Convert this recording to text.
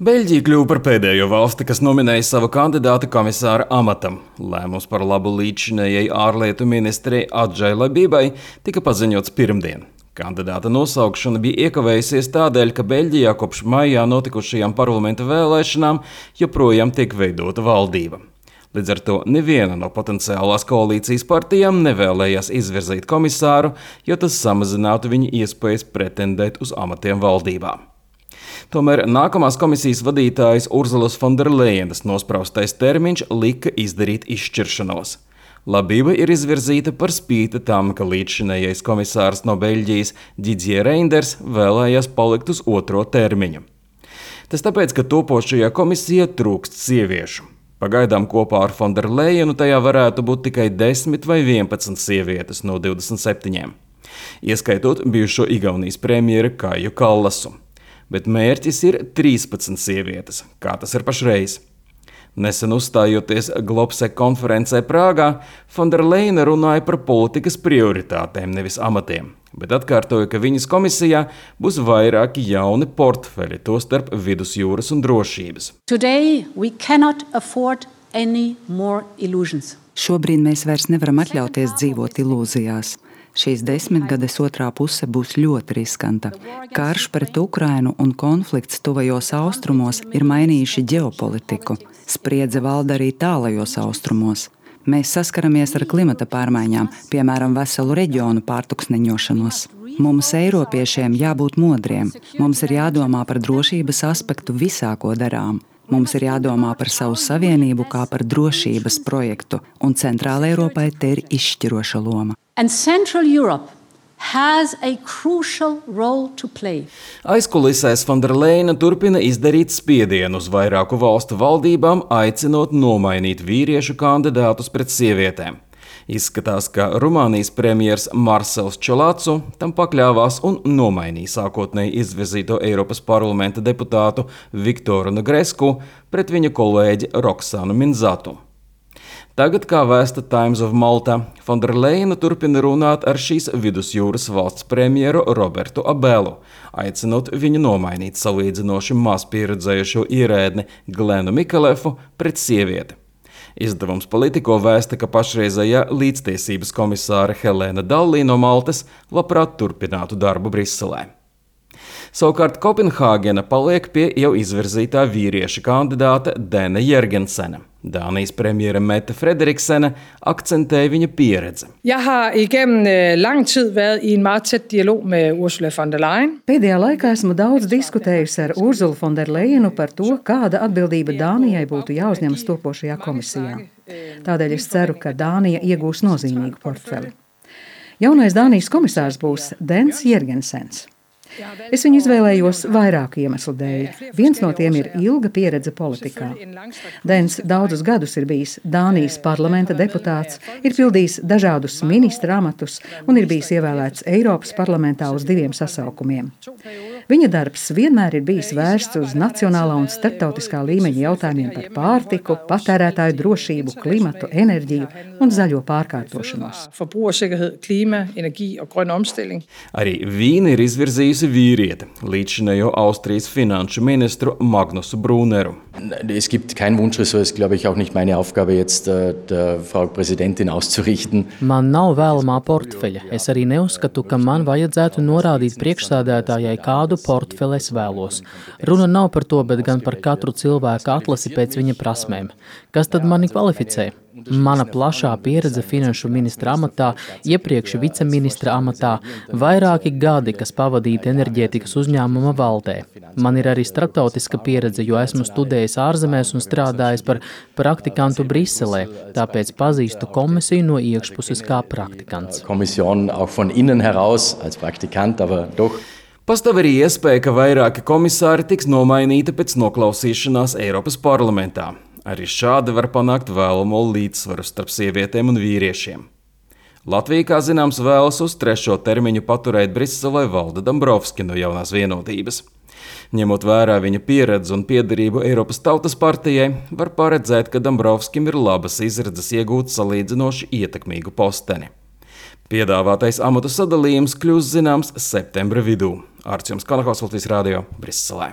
Beļģija kļuva par pēdējo valsti, kas nominēja savu kandidātu komisāra amatam. Lēmums par labu līdzinējai ārlietu ministrei Adžai Labībai tika paziņots pirmdien. Kandidāta nosaukšana bija iekavējusies tādēļ, ka Beļģijā kopš maijā notikušajām parlamenta vēlēšanām joprojām tiek veidota valdība. Līdz ar to neviena no potenciālās koalīcijas partijām nevēlējās izvirzīt komisāru, jo tas samazinātu viņa iespējas pretendēt uz amatiem valdībā. Tomēr nākamās komisijas vadītājas Urzulas Fonderlejenas nospraustais termiņš lika izdarīt izšķiršanos. Labība ir izvirzīta par spīti tam, ka līdzšinējais komisārs no Beļģijas Didier Reynders vēlējās palikt uz otro termiņu. Tas tāpēc, ka topošajā komisijā trūkst sieviešu. Pagaidām kopā ar Fonderlejenu tajā varētu būt tikai 10 vai 11 sievietes no 27, ieskaitot bijušo Igaunijas premjera Kaiju Kallasu. Bet mērķis ir 13 sievietes, kā tas ir pašreiz. Nesen uzstājoties Globsec konferencē Prāgā, Fonderlejena runāja par politikas prioritātēm, nevis amatiem, bet atkārtoja, ka viņas komisijā būs vairāki jauni portfeļi, tostarp vidusjūras un drošības. Šobrīd mēs vairs nevaram atļauties dzīvot ilūzijās. Šīs 10 gades otrā puse būs ļoti riskanta. Karš pret Ukrainu un konflikts tuvajos austrumos ir mainījuši ģeopolitiku. Spriedze valda arī tālajos austrumos. Mēs saskaramies ar klimata pārmaiņām, piemēram, veselu reģionu pārtuksneņošanos. Mums, eiropiešiem, jābūt modriem. Mums ir jādomā par drošības aspektu visā, ko darām. Mums ir jādomā par savu savienību kā par drošības projektu, un Centrāla Eiropai te ir izšķiroša loma. Aizkulisēs Fonderlejena turpina izdarīt spiedienu uz vairāku valstu valdībām, aicinot nomainīt vīriešu kandidātus pret sievietēm. Izskatās, ka Rumānijas premjers Marcels Ciolacu tam pakļāvās un nomainīja sākotnēji izvirzīto Eiropas parlamenta deputātu Viktoru Negresku pret viņa kolēģi Roksanu Minzatu. Tagad, kā vēsta Times of Malta, Fonderlejena turpina runāt ar šīs vidusjūras valsts premjeru Robertu Abelu, aicinot viņu nomainīt salīdzinoši maz pieredzējušo ierēdni Glenu Mikalefu pret sievieti. Izdevums Politico vēsta, ka pašreizējā līdztiesības komisāre Helēna Dallī no Maltas labprāt turpinātu darbu Briselē. Savukārt Kopenhāgena paliek pie jau izvirzītā vīrieša kandidāta Dena Jørgensena. Dānijas premjera Mette Frederiksene akcentēja viņa pieredzi. Pēdējā laikā esmu daudz diskutējusi ar Urzulu Fonderlejenu par to, kāda atbildība Dānijai būtu jāuzņemas topošajā komisijā. Tādēļ es ceru, ka Dānija iegūs nozīmīgu portfeli. Jaunais Dānijas komisārs būs Dens Jørgensens. Es viņu izvēlējos vairāku iemeslu dēļ. Viens no tiem ir ilga pieredze politikā. Dens daudzus gadus ir bijis Dānijas parlamenta deputāts, ir pildījis dažādus ministra amatus un ir bijis ievēlēts Eiropas parlamentā uz 2 sasaukumiem. Viņa darbs vienmēr ir bijis vērsts uz nacionālā un starptautiskā līmeņa jautājumiem par pārtiku, patērētāju drošību, klimatu, enerģiju un zaļo pārkārtošanos. Arī Vīna ir izvirzījusi vīrieti, līdzšinējo Austrijas finanšu ministru Magnusu Brūneru. Es gibt kein Wunschressort, es glaube ich auch nicht meine Aufgabe jetzt der Frau Präsidentin auszurichten. Man nav vēlamā portfeļa. Es arī neuzskatu, ka man vajadzētu norādīt priekšsēdētājai, kādu portfeli es vēlos. Runa nav par to, bet gan par katru cilvēku atlasi pēc viņa prasmēm. Kas tad mani kvalificē? Mana plašā pieredze finanšu ministra amatā, iepriekš viceministra amatā, vairāki gadi, kas pavadīti enerģētikas uzņēmuma valdē. Man ir arī starptautiska pieredze, jo esmu studējis ārzemēs un strādājis par praktikantu Briselē, tāpēc pazīstu komisiju no iekšpuses kā praktikants. Kommission auch von innen heraus als Praktikant, aber doch. Pastāv arī iespēja, ka vairāki komisāri tiks nomainīti pēc noklausīšanās Eiropas parlamentā. Arī šādi var panākt vēlamo līdzsvaru starp sievietēm un vīriešiem. Latvija, kā zināms, vēlas uz 3. termiņu paturēt Briselē Valdi Dombrovski no jaunās vienotības. Ņemot vērā viņa pieredzi un piederību Eiropas Tautas partijai, var paredzēt, ka Dombrovskim ir labas izredzes iegūt salīdzinoši ietekmīgu posteni. Piedāvātais amatu sadalījums kļūs zināms septembra vidū. Arts Jums Kanahaus, Latvijas radio, Briselē.